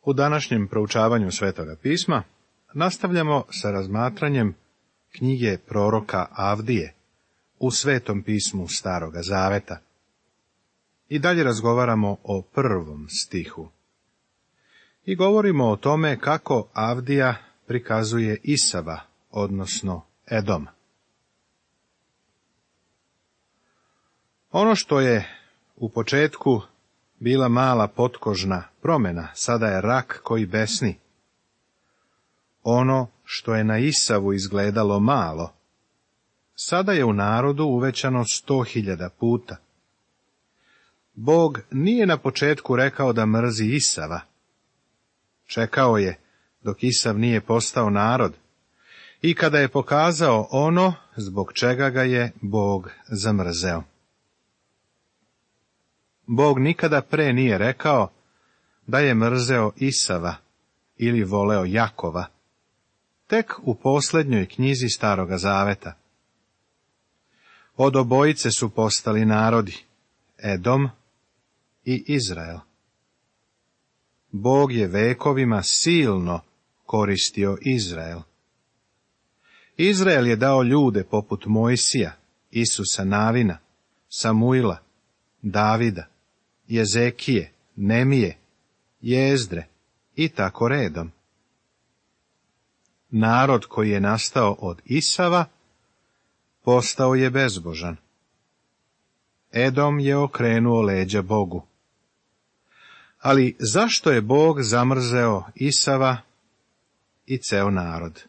U današnjem proučavanju Svetoga pisma nastavljamo sa razmatranjem knjige proroka Avdije u Svetom pismu Staroga Zaveta. I dalje razgovaramo o 1. stihu. I govorimo o tome kako Avdija prikazuje Isava, odnosno Edom. Ono što je u početku bila mala potkožna promjena, sada je rak koji besni. Ono što je na Isavu izgledalo malo, sada je u narodu uvećano 100.000 puta. Bog nije na početku rekao da mrzi Isava. Čekao je dok Isav nije postao narod i kada je pokazao ono zbog čega ga je Bog zamrzeo. Bog nikada pre nije rekao da je mrzeo Isava ili voleo Jakova, tek u posljednjoj knjizi Staroga Zaveta. Od obojice su postali narodi, Edom i Izrael. Bog je vekovima silno koristio Izrael. Izrael je dao ljude poput Mojsija, Isusa Navina, Samuila, Davida, Jezekije, Nemije, Jezdre i tako redom. Narod koji je nastao od Isava postao je bezbožan. Edom je okrenuo leđa Bogu. Ali zašto je Bog zamrzeo Isava i ceo narod?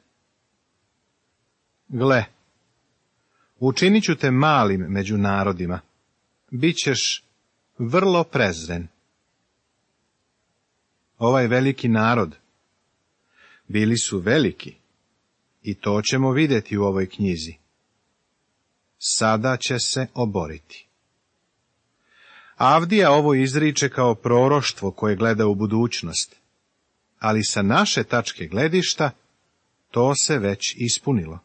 Gle, učinit ću te malim među narodima, bit ćeš vrlo prezren. Ovaj veliki narod bili su veliki, i to ćemo vidjeti u ovoj knjizi. Sada će se oboriti. Avdija ovo izriče kao proroštvo koje gleda u budućnost, ali sa naše tačke gledišta to se već ispunilo.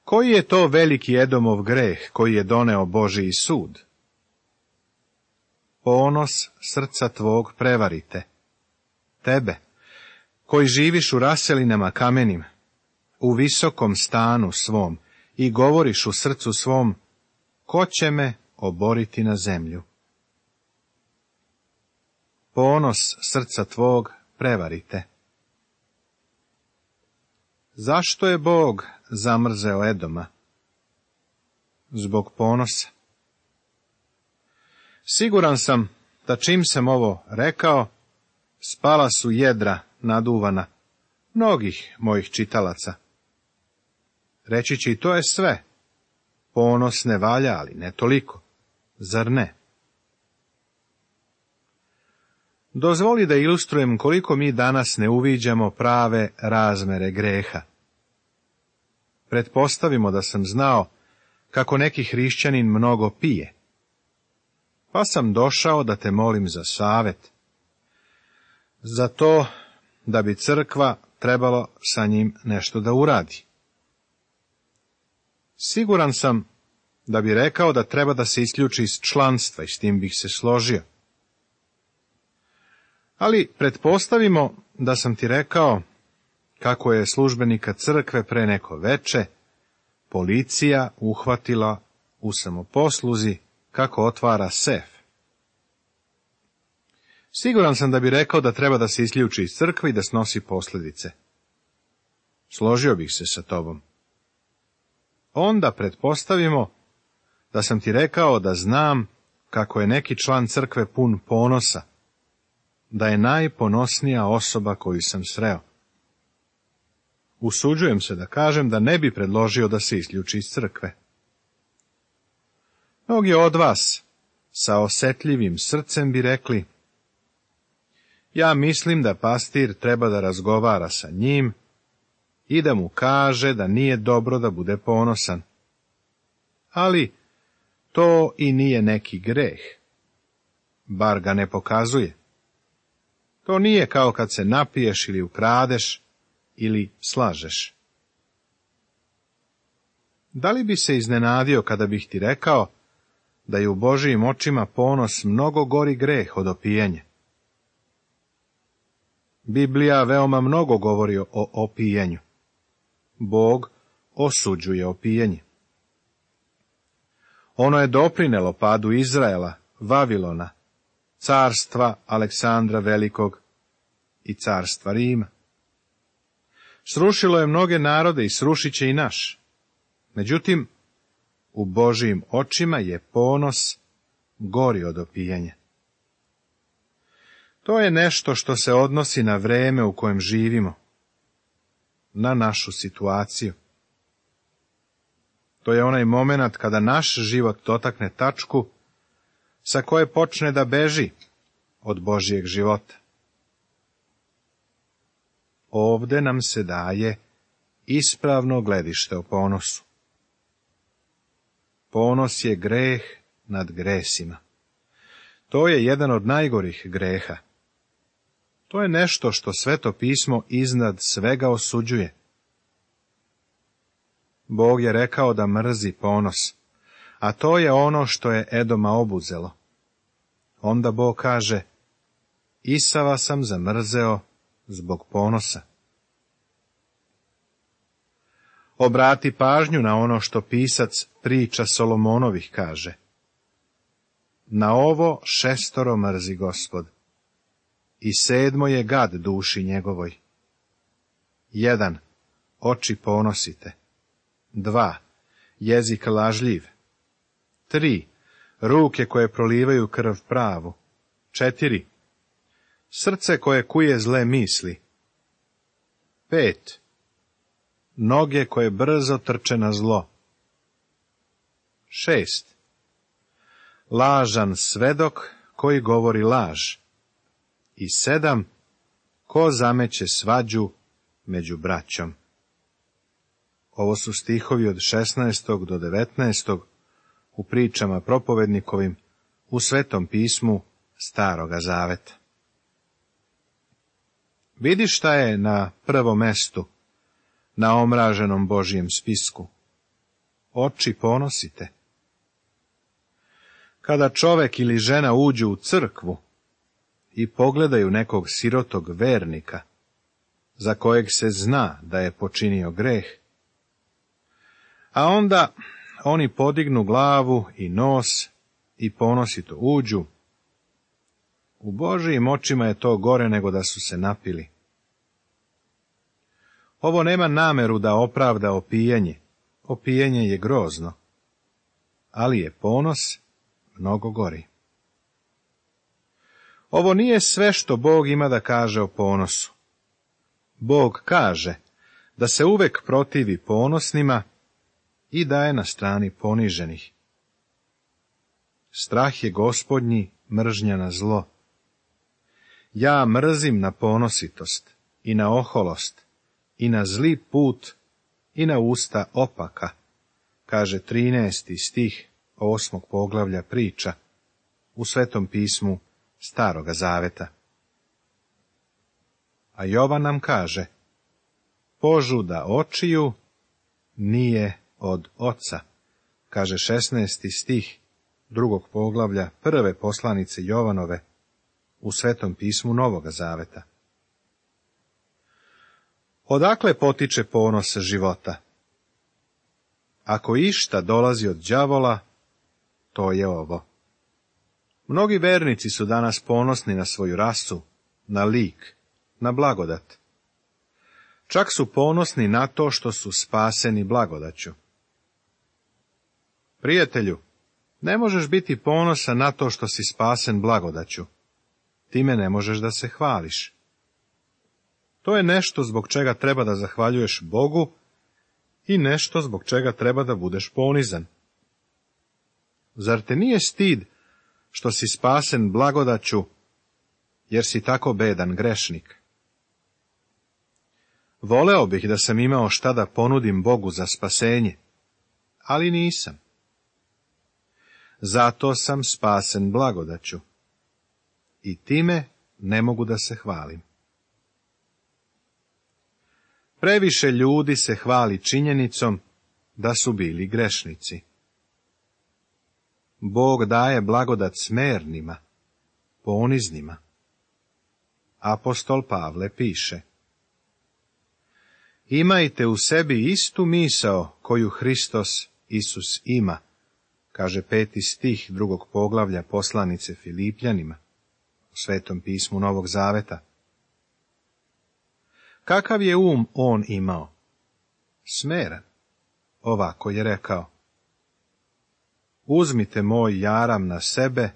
Koji je to veliki Edomov greh koji je doneo Božiji sud? Ponos srca tvog prevarite. Tebe, koji živiš u raselinama kamenim, u visokom stanu svom i govoriš u srcu svom, ko će me oboriti na zemlju? Ponos srca tvog prevarite. Zašto je Bog zamrzeo Edoma? Zbog ponosa. Siguran sam da čim sam ovo rekao, spala su jedra naduvana mnogih mojih čitalaca. Reći će i to je sve. Ponos ne valja, ali ne toliko. Zar ne? Dozvoli da ilustrujem koliko mi danas ne uviđamo prave razmere greha. Pretpostavimo da sam znao kako neki hrišćanin mnogo pije, pa sam došao da te molim za savjet, za to da bi crkva trebalo sa njim nešto da uradi. Siguran sam da bi rekao da treba da se isključi iz članstva i s tim bih se složio. Ali pretpostavimo da sam ti rekao kako je službenika crkve pre neko veče policija uhvatila u samoposluzi kako otvara sef. Siguran sam da bi rekao da treba da se isključi iz crkve i da snosi posljedice. Složio bih se sa tobom. Onda pretpostavimo da sam ti rekao da znam kako je neki član crkve pun ponosa, da je najponosnija osoba koju sam sreo. Usuđujem se da kažem da ne bi predložio da se isključi iz crkve. Mnogi od vas sa osjetljivim srcem bi rekli, ja mislim da pastir treba da razgovara sa njim i da mu kaže da nije dobro da bude ponosan. Ali to i nije neki greh. Bar ga ne pokazuje. To nije kao kad se napiješ ili ukradeš ili slažeš. Da li bi se iznenadio kada bih ti rekao da je u Božijim očima ponos mnogo gori greh od opijanja? Biblija veoma mnogo govori o opijenju. Bog osuđuje opijenje. Ono je doprinelo padu Izraela, Vavilona, carstva Aleksandra Velikog i carstva Rima. Srušilo je mnoge narode i srušit će i naš. Međutim, u Božijim očima je ponos gori od opijenja. To je nešto što se odnosi na vreme u kojem živimo, na našu situaciju. To je onaj moment kada naš život dotakne tačku sa koje počne da beži od Božijeg života. Ovde nam se daje ispravno gledište o ponosu. Ponos je greh nad gresima. To je jedan od najgorih greha. To je nešto što Sveto pismo iznad svega osuđuje. Bog je rekao da mrzi ponos, a to je ono što je Edoma obuzelo. Onda Bog kaže, Isava sam zamrzeo zbog ponosa. Obrati pažnju na ono što pisac priča Solomonovih kaže. Na ovo 6 mrzi Gospod, i 7 je gad duši njegovoj. 1. Oči ponosite. 2. Jezik lažljiv. 3. Ruke koje prolivaju krv pravu. 4. Srce koje kuje zle misli. 5. Noge koje brzo trče na zlo. 6. Lažan svedok koji govori laž. I 7. Ko zameće svađu među braćom. Ovo su stihovi od 16. do 19. u pričama propovednikovim u Svetom pismu Staroga Zaveta. Vidi šta je na prvom mestu, na omraženom Božijem spisku. Oči ponosite. Kada čovek ili žena uđu u crkvu i pogledaju nekog sirotog vernika, za kojeg se zna da je počinio greh, a onda oni podignu glavu i nos i ponosito uđu, u Božijim očima je to gore nego da su se napili. Ovo nema nameru da opravda opijenje. Opijenje je grozno, ali je ponos mnogo gori. Ovo nije sve što Bog ima da kaže o ponosu. Bog kaže da se uvek protivi ponosnima i da je na strani poniženih. Strah je Gospodnji, mržnja na zlo. Ja mrzim na ponositost i na oholost i na zli put i na usta opaka, kaže 13. stih 8. poglavlja priča u Svetom pismu Staroga Zaveta. A Jovan nam kaže, požuda očiju nije od oca, kaže 16. stih 2. poglavlja 1. poslanice Jovanove u Svetom pismu Novoga Zaveta. Odakle potiče ponos života? Ako išta dolazi od đavola, to je ovo. Mnogi vernici su danas ponosni na svoju rasu, na lik, na blagodat. Čak su ponosni na to što su spaseni blagodaću. Prijatelju, ne možeš biti ponosan na to što si spasen blagodaću. Time ne možeš da se hvališ. To je nešto zbog čega treba da zahvaljuješ Bogu i nešto zbog čega treba da budeš ponizan. Zar te nije stid što si spasen blagodaću, jer si tako bedan grešnik? Voleo bih da sam imao šta da ponudim Bogu za spasenje, ali nisam. Zato sam spasen blagodaću i time ne mogu da se hvalim. Previše ljudi se hvali činjenicom da su bili grešnici. Bog daje blagodat smernima, poniznima. apostol Pavle piše: Imajte u sebi istu misao koju Hristos Isus ima, kaže 5. stih 2. poglavlja poslanice Filipljanima u Svetom pismu Novog Zaveta. Kakav je on imao? Smeran. Ovako je rekao: Uzmite moj jaram na sebe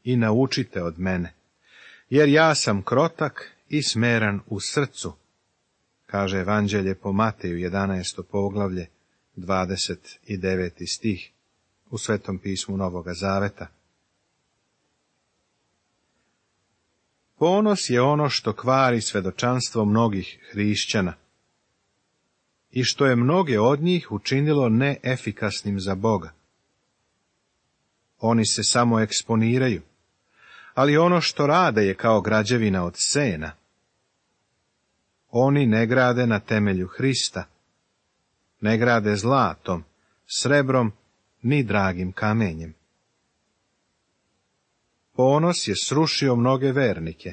i naučite od mene, jer ja sam krotak i smeran u srcu, kaže Evanđelje po Mateju 11. poglavlje 29. stih u Svetom pismu Novoga Zaveta. Ponos je ono što kvari svedočanstvo mnogih hrišćana i što je mnoge od njih učinilo neefikasnim za Boga. Oni se samo eksponiraju, ali ono što rade je kao građevina od sena. Oni ne grade na temelju Hrista, ne grade zlatom, srebrom, ni dragim kamenjem. Ponos je srušio mnoge vernike,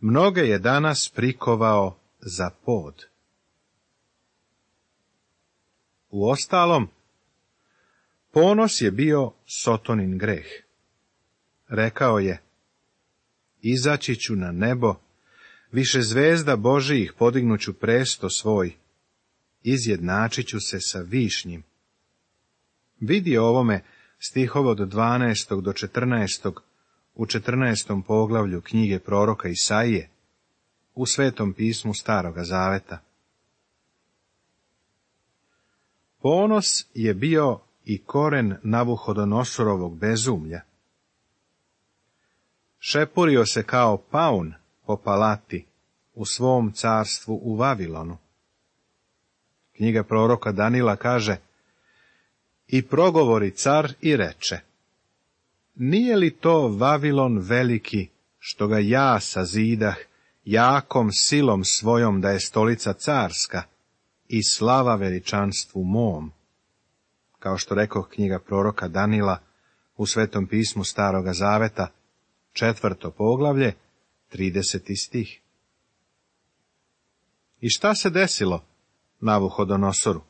mnoge je danas prikovao za pod. Uostalom, ponos je bio Sotonin greh. Rekao je: Izaći ću na nebo, više zvezda Božijih podignuću presto svoj, izjednačit ću se sa višnjim. Vidi ovome stihove od 12. do 14. u 14. poglavlju knjige proroka Isaije, u Svetom pismu Staroga Zaveta. Ponos je bio i koren Navuhodonosorovog bezumlja. Šepurio se kao paun po palati u svom carstvu u Vavilonu. Knjiga proroka Danila kaže: I progovori car i reče: Nije li to Vavilon veliki, što ga ja sazidah jakom silom svojom da je stolica carska i slava veličanstvu mom? Kao što rekoh, knjiga proroka Danila u Svetom pismu Staroga Zaveta, 4. poglavlje, 30. stih. I šta se desilo Navuhodonosoru?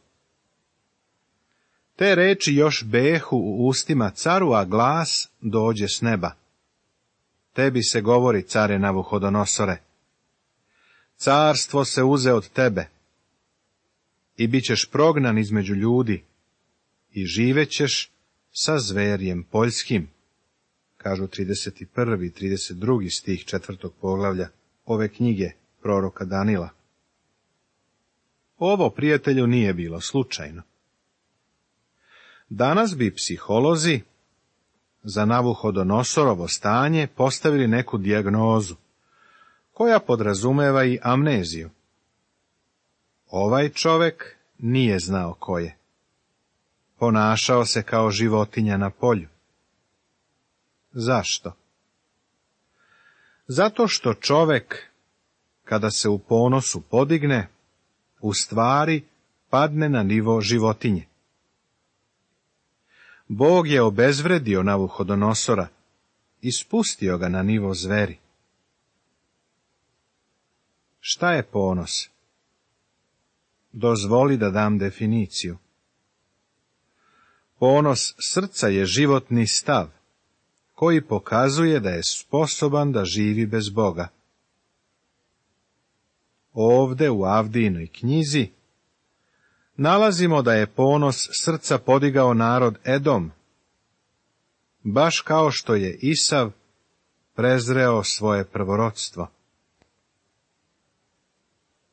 Te reči još behu u ustima caru, a glas dođe s neba: Tebi se govori, care Navuhodonosore, carstvo se uze od tebe i bit ćeš prognan između ljudi i živećeš sa zverjem poljskim, kažu 31. i 32. stih 4. poglavlja ove knjige proroka Danila. Ovo, prijatelju, nije bilo slučajno. Danas bi psiholozi za Navuhodonostorovo stanje postavili neku dijagnozu, koja podrazumeva i amneziju. Ovaj čovek nije znao ko je. Ponašao se kao životinja na polju. Zašto? Zato što čovek, kada se u ponosu podigne, u stvari padne na nivo životinje. Bog je obezvredio Navuhodonosora i spustio ga na nivo zveri. Šta je ponos? Dozvoli da dam definiciju. Ponos srca je životni stav, koji pokazuje da je sposoban da živi bez Boga. Ovde u Avdijinoj knjizi nalazimo da je ponos srca podigao narod Edom, baš kao što je Isav prezreo svoje prvorodstvo.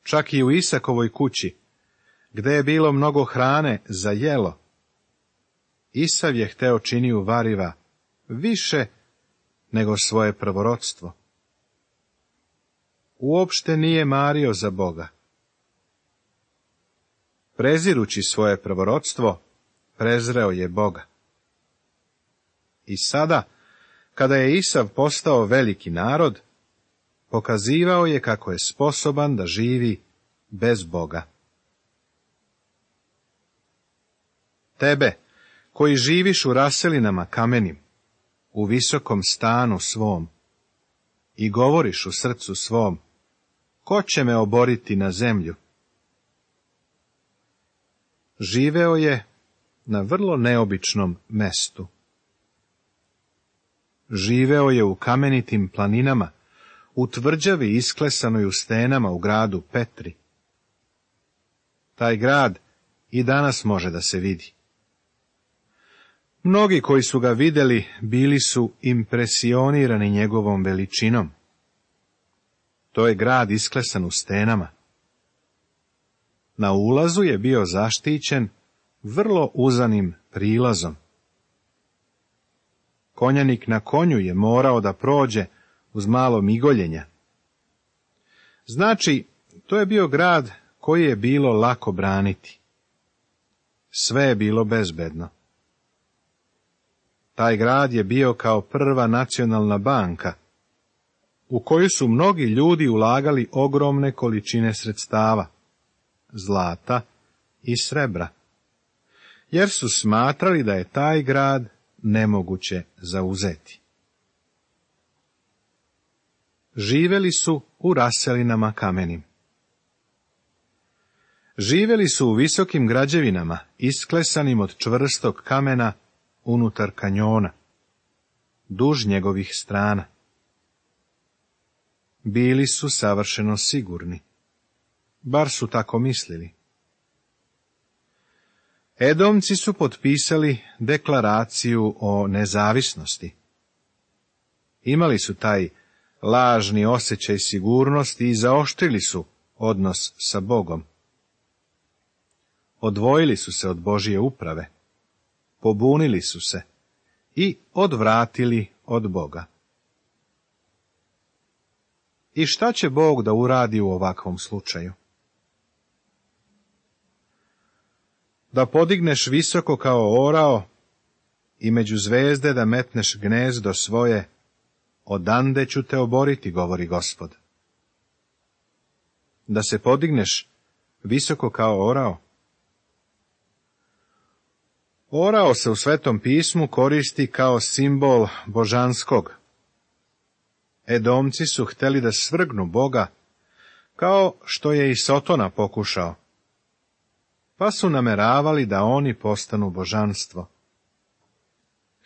Čak i u Isakovoj kući, gde je bilo mnogo hrane za jelo, Isav je hteo činiju variva više nego svoje prvorodstvo. Uopšte nije mario za Boga. Prezirući svoje prvorodstvo, prezreo je Boga. I sada, kada je Isav postao veliki narod, pokazivao je kako je sposoban da živi bez Boga. Tebe, koji živiš u raselinama kamenim, u visokom stanu svom, i govoriš u srcu svom: ko će me oboriti na zemlju? Živeo je na vrlo neobičnom mestu. Živeo je u kamenitim planinama, u tvrđavi isklesanoj u stenama u gradu Petri. Taj grad i danas može da se vidi. Mnogi koji su ga vidjeli bili su impresionirani njegovom veličinom. To je grad isklesan u stenama. Na ulazu je bio zaštićen vrlo uzanim prilazom. Konjanik na konju je morao da prođe uz malo migoljenja. Znači, to je bio grad koji je bilo lako braniti. Sve je bilo bezbedno. Taj grad je bio kao prva nacionalna banka, u koju su mnogi ljudi ulagali ogromne količine sredstava, zlata i srebra, jer su smatrali da je taj grad nemoguće zauzeti. Živeli su u raselinama kamenim. Živeli su u visokim građevinama, isklesanim od čvrstog kamena unutar kanjona, duž njegovih strana. Bili su savršeno sigurni, bar su tako mislili. Edomci su potpisali deklaraciju o nezavisnosti. Imali su taj lažni osjećaj sigurnosti i zaoštrili su odnos sa Bogom. Odvojili su se od Božje uprave, pobunili su se i odvratili od Boga. I šta će Bog da uradi u ovakvom slučaju? Da podigneš visoko kao orao i među zvezde da metneš gnezdo svoje, odande ću te oboriti, govori Gospod. Da se podigneš visoko kao orao. Orao se u Svetom pismu koristi kao simbol božanskog. Edomci su hteli da svrgnu Boga, kao što je i Sotona pokušao, pa su nameravali da oni postanu božanstvo.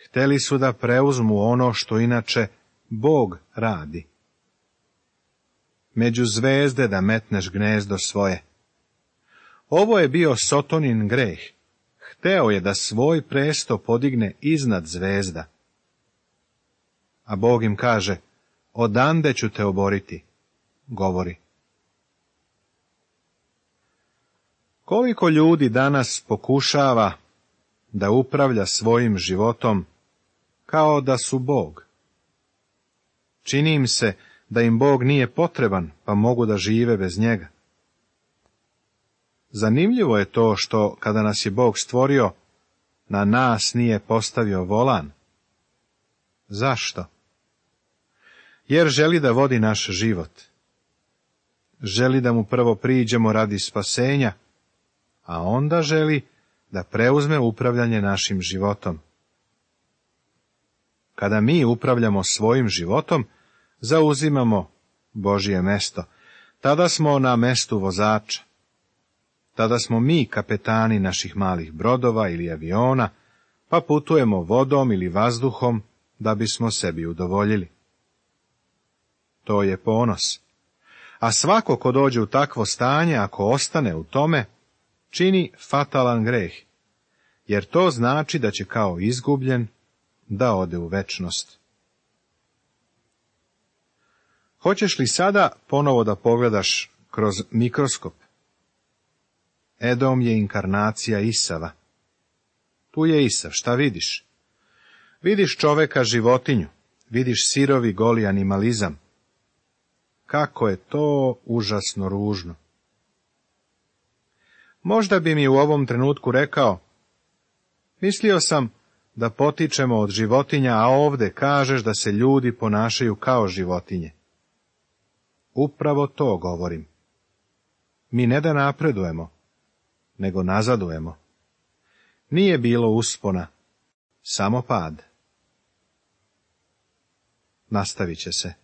Hteli su da preuzmu ono što inače Bog radi. Među zvezde da metneš gnezdo svoje. Ovo je bio Sotonin greh. Hteo je da svoj presto podigne iznad zvezda. A Bog im kaže, odande ću te oboriti, govori. Koliko ljudi danas pokušava da upravlja svojim životom kao da su Bog? Čini im se da im Bog nije potreban, pa mogu da žive bez njega. Zanimljivo je to što, kada nas je Bog stvorio, na nas nije postavio volan. Zašto? Jer želi da vodi naš život. Želi da mu prvo priđemo radi spasenja, a onda želi da preuzme upravljanje našim životom. Kada mi upravljamo svojim životom, zauzimamo Božje mesto. Tada smo na mestu vozača. Tada smo mi kapetani naših malih brodova ili aviona, pa putujemo vodom ili vazduhom da bismo sebi udovoljili. To je ponos. A svako ko dođe u takvo stanje, ako ostane u tome, čini fatalan greh, jer to znači da će kao izgubljen da ode u večnost. Hoćeš li sada ponovo da pogledaš kroz mikroskop? Edom je inkarnacija Isava. Tu je Isav, šta vidiš? Vidiš čoveka životinju, vidiš sirovi goli animalizam. Kako je to užasno ružno. Možda bi mi u ovom trenutku rekao, mislio sam da potičemo od životinja, a ovde kažeš da se ljudi ponašaju kao životinje. Upravo to govorim. Mi ne da napredujemo, nego nazadujemo. Nije bilo uspona, samo pad. Nastavit će se.